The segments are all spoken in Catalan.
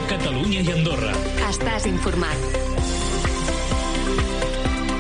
Catalunya i Andorra. Estàs informat.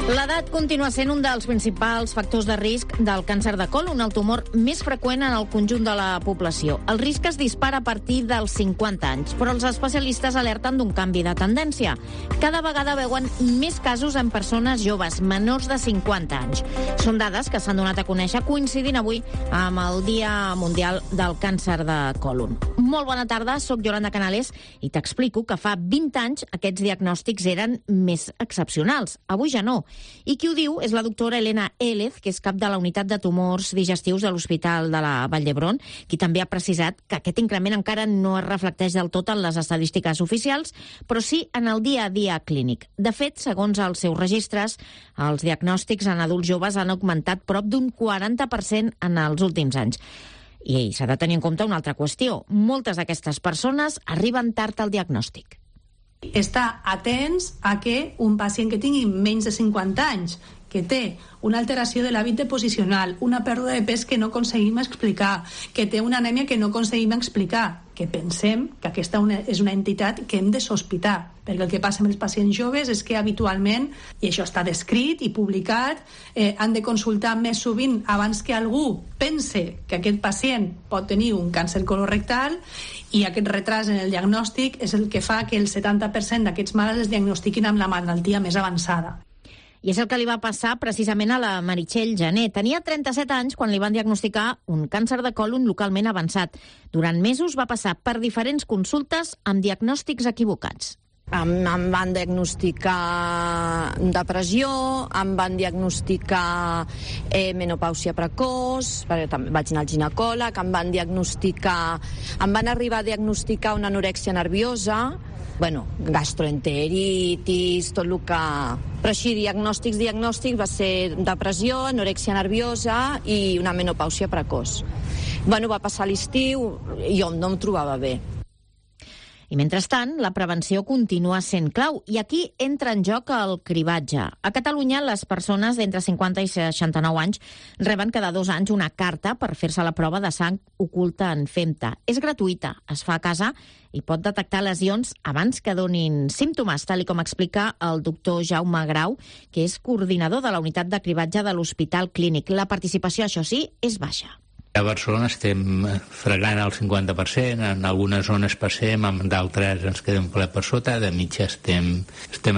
L'edat continua sent un dels principals factors de risc del càncer de còlon, el tumor més freqüent en el conjunt de la població. El risc es dispara a partir dels 50 anys, però els especialistes alerten d'un canvi de tendència. Cada vegada veuen més casos en persones joves, menors de 50 anys. Són dades que s'han donat a conèixer coincidint avui amb el Dia Mundial del Càncer de Còlon. Molt bona tarda, soc Yolanda Canales i t'explico que fa 20 anys aquests diagnòstics eren més excepcionals. Avui ja no. I qui ho diu és la doctora Elena Élez, que és cap de la unitat de tumors digestius de l'Hospital de la Vall d'Hebron, qui també ha precisat que aquest increment encara no es reflecteix del tot en les estadístiques oficials, però sí en el dia a dia clínic. De fet, segons els seus registres, els diagnòstics en adults joves han augmentat prop d'un 40% en els últims anys. I s'ha de tenir en compte una altra qüestió. Moltes d'aquestes persones arriben tard al diagnòstic. Estar atents a que un pacient que tingui menys de 50 anys, que té una alteració de l'hàbit deposicional, una pèrdua de pes que no aconseguim explicar, que té una anèmia que no aconseguim explicar, que pensem que aquesta és una entitat que hem de sospitar, perquè el que passa amb els pacients joves és que habitualment, i això està descrit i publicat, han de consultar més sovint abans que algú pense que aquest pacient pot tenir un càncer colorectal, i aquest retras en el diagnòstic és el que fa que el 70% d'aquests malalts es diagnostiquin amb la malaltia més avançada. I és el que li va passar precisament a la Meritxell Jané. Tenia 37 anys quan li van diagnosticar un càncer de còlon localment avançat. Durant mesos va passar per diferents consultes amb diagnòstics equivocats. Em van diagnosticar depressió, em van diagnosticar menopàusia precoç, perquè també vaig anar al ginecòleg, em van arribar a diagnosticar una anorèxia nerviosa, gastroenteritis, tot el que... Però així, diagnòstics va ser depressió, anorèxia nerviosa i una menopàusia precoç. Va passar l'estiu i jo no em trobava bé. I mentrestant, la prevenció continua sent clau i aquí entra en joc el cribatge. A Catalunya, les persones d'entre 50 i 69 anys reben cada 2 anys una carta per fer-se la prova de sang oculta en FEMTA. És gratuïta, es fa a casa i pot detectar lesions abans que donin símptomes, tal com explica el doctor Jaume Grau, que és coordinador de la unitat de cribatge de l'Hospital Clínic. La participació, això sí, és baixa. A Barcelona estem fregant el 50%, en algunes zones passem, en d'altres ens quedem ple per sota, de mitja estem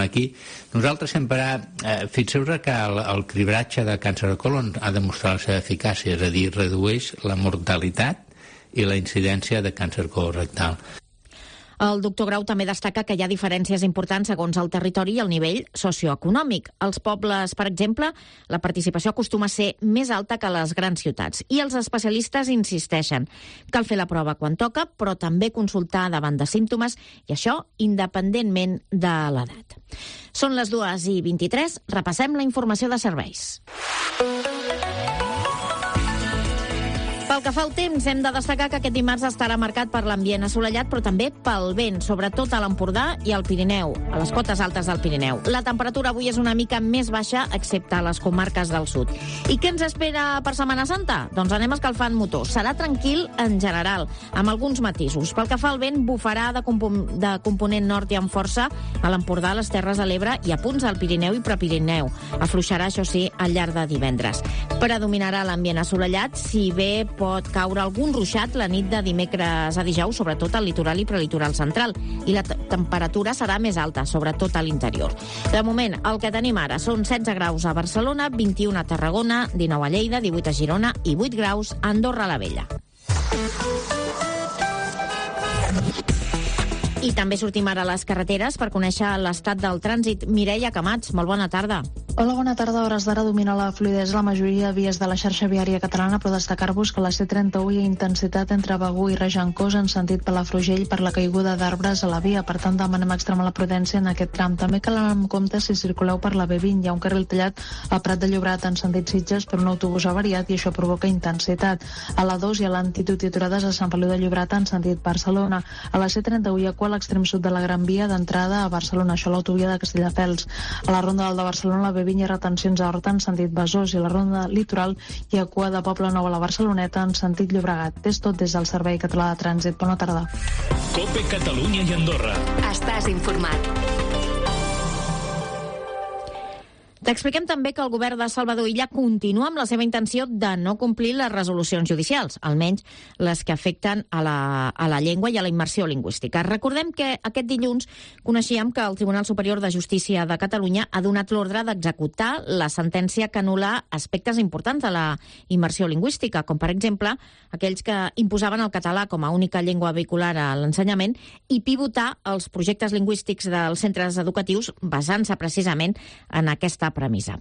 aquí. Nosaltres sempre, fixeu-vos que el cribratge de càncer de còlon ha demostrat la seva eficàcia, és a dir, redueix la mortalitat i la incidència de càncer colorectal. El doctor Grau també destaca que hi ha diferències importants segons el territori i el nivell socioeconòmic. Als pobles, per exemple, la participació acostuma a ser més alta que a les grans ciutats. I els especialistes insisteixen. Cal fer la prova quan toca, però també consultar davant de símptomes, i això independentment de l'edat. Són les 2:23, repassem la informació de serveis. Pel que fa al temps, hem de destacar que aquest dimarts estarà marcat per l'ambient assolellat, però també pel vent, sobretot a l'Empordà i al Pirineu, a les cotes altes del Pirineu. La temperatura avui és una mica més baixa, excepte a les comarques del sud. I què ens espera per Setmana Santa? Doncs anem escalfant motors. Serà tranquil en general, amb alguns matisos. Pel que fa al vent, bufarà de component nord i amb força a l'Empordà, a les Terres de l'Ebre i a punts al Pirineu i Prepirineu. Afluixarà, això sí, al llarg de divendres. Predominarà l'ambient assolellat, si bé pot caure algun ruixat la nit de dimecres a dijous, sobretot al litoral i prelitoral central, i la temperatura serà més alta, sobretot a l'interior. De moment, el que tenim ara són 16 graus a Barcelona, 21 a Tarragona, 19 a Lleida, 18 a Girona i 8 graus a Andorra la Vella. I també sortim ara a les carreteres per conèixer l'estat del trànsit. Mireia Camats, molt bona tarda. Hola, bona tarda. A hores d'ara domina la fluïdesa la majoria de vies de la xarxa viària catalana, però destacar-vos que la C31 hi ha intensitat entre Begur i Regencós en sentit Palafrugell per la caiguda d'arbres a la via. Per tant, demanem extremar la prudència en aquest tram. També cal anar amb compte si circuleu per la B20. Hi ha un carril tallat a Prat de Llobregat en sentit Sitges per un autobús avariat i això provoca intensitat. A la 2 hi ha l'antitud i aturades a Sant Feliu de Llobregat en sentit Barcelona. A la C31 hi ha a l'extrem sud de la Gran Via d'entrada a Barcelona, això a l'autovia de Castelldefels. A la ronda del de Barcelona, la B20 Vinya i retencions a Horta en sentit Besòs i la Ronda Litoral i a Cua de Poble Nou a la Barceloneta en sentit Llobregat. És tot des del Servei Català de Trànsit. Bona tarda. COPE Catalunya i Andorra. Estàs informat. T'expliquem també que el govern de Salvador Illa continua amb la seva intenció de no complir les resolucions judicials, almenys les que afecten a la llengua i a la immersió lingüística. Recordem que aquest dilluns coneixíem que el Tribunal Superior de Justícia de Catalunya ha donat l'ordre d'executar la sentència que anul·la aspectes importants de la immersió lingüística, com per exemple aquells que imposaven el català com a única llengua vehicular a l'ensenyament i pivotar els projectes lingüístics dels centres educatius basant-se precisament en aquesta premissa.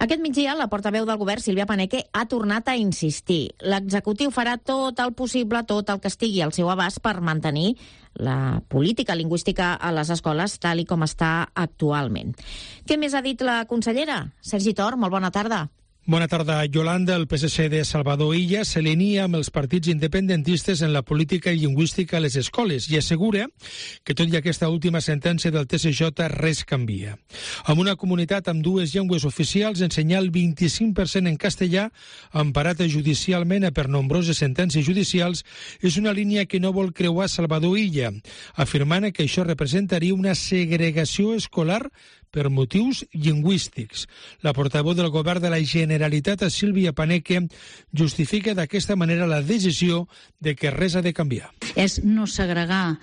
Aquest migdia, la portaveu del govern, Sílvia Paneque, ha tornat a insistir. L'executiu farà tot el possible, tot el que estigui al seu abast per mantenir la política lingüística a les escoles tal i com està actualment. Què més ha dit la consellera? Sergi Tor, molt bona tarda. Bona tarda, Yolanda. El PSC de Salvador Illa s'alinea amb els partits independentistes en la política lingüística a les escoles i assegura que tot i aquesta última sentència del TSJ res canvia. Amb una comunitat amb dues llengües oficials, ensenyar el 25% en castellà, emparat judicialment per nombroses sentències judicials, és una línia que no vol creuar Salvador Illa, afirmant que això representaria una segregació escolar per motius lingüístics. La portaveu del govern de la Generalitat, Sílvia Paneque, justifica d'aquesta manera la decisió de que res ha de canviar. És no segregar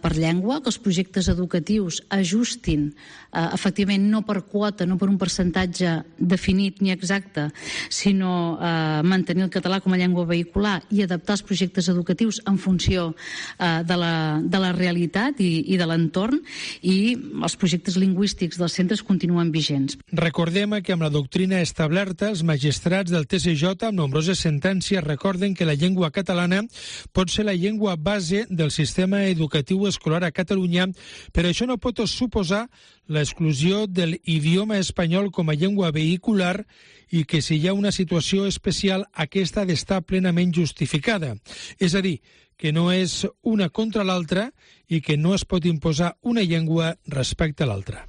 per llengua, que els projectes educatius ajustin, efectivament, no per quota, no per un percentatge definit ni exacte, sinó mantenir el català com a llengua vehicular i adaptar els projectes educatius en funció de la realitat i de l'entorn, i els projectes lingüístics dels centres continuen vigents. Recordem que amb la doctrina establerta, els magistrats del TSJ amb nombroses sentències recorden que la llengua catalana pot ser la llengua base del sistema educatiu escolar a Catalunya, però això no pot suposar l'exclusió de l'idioma espanyol com a llengua vehicular i que si hi ha una situació especial, aquesta ha d'estar plenament justificada. És a dir, que no és una contra l'altra i que no es pot imposar una llengua respecte a l'altra.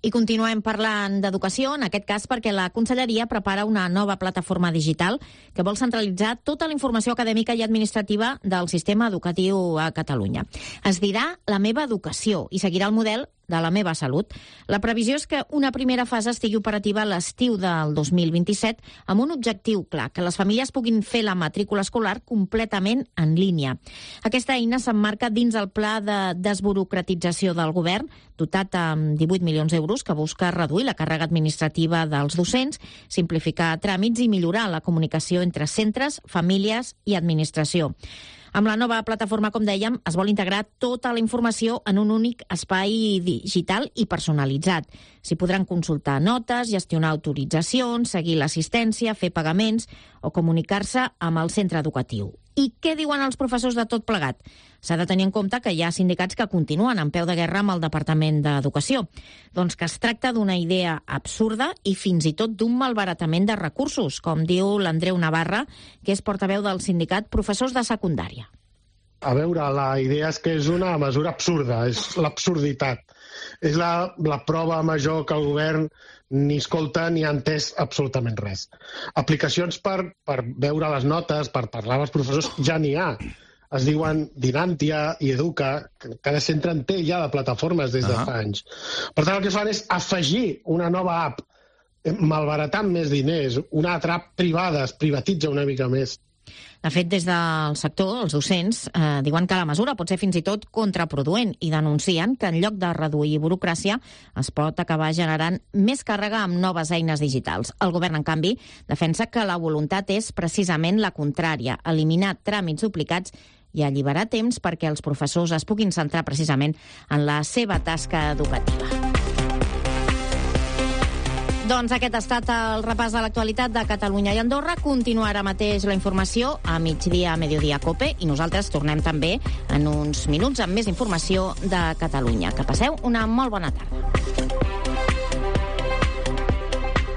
I continuem parlant d'educació, en aquest cas perquè la Conselleria prepara una nova plataforma digital que vol centralitzar tota la informació acadèmica i administrativa del sistema educatiu a Catalunya. Es dirà La meva educació i seguirà el model de La meva salut. La previsió és que una primera fase estigui operativa a l'estiu del 2027 amb un objectiu clar, que les famílies puguin fer la matrícula escolar completament en línia. Aquesta eina s'emmarca dins el pla de desburocratització del govern, dotat amb 18 milions d'euros, que busca reduir la càrrega administrativa dels docents, simplificar tràmits i millorar la comunicació entre centres, famílies i administració. Amb la nova plataforma, com dèiem, es vol integrar tota la informació en un únic espai digital i personalitzat. S'hi podran consultar notes, gestionar autoritzacions, seguir l'assistència, fer pagaments o comunicar-se amb el centre educatiu. I què diuen els professors de tot plegat? S'ha de tenir en compte que hi ha sindicats que continuen en peu de guerra amb el Departament d'Educació. Doncs que es tracta d'una idea absurda i fins i tot d'un malbaratament de recursos, com diu l'Andreu Navarra, que és portaveu del sindicat Professors de Secundària. A veure, la idea és que és una mesura absurda, és l'absurditat. És la prova major que el govern ni escolta ni ha entès absolutament res. Aplicacions per veure les notes, per parlar amb els professors, ja n'hi ha. Es diuen Dinantia i Educa, cada centre en té ja de plataformes des de fa anys. Per tant, el que fan és afegir una nova app, malbaratant més diners, una altra app privada, es privatitza una mica més. De fet, des del sector, els docents diuen que la mesura pot ser fins i tot contraproduent i denuncien que en lloc de reduir burocràcia es pot acabar generant més càrrega amb noves eines digitals. El govern, en canvi, defensa que la voluntat és precisament la contrària, eliminar tràmits duplicats i alliberar temps perquè els professors es puguin centrar precisament en la seva tasca educativa. Doncs aquest ha estat el repàs de l'actualitat de Catalunya i Andorra. Continua ara mateix la informació a migdia, a Mediodia Cope, i nosaltres tornem també en uns minuts amb més informació de Catalunya. Que passeu una molt bona tarda.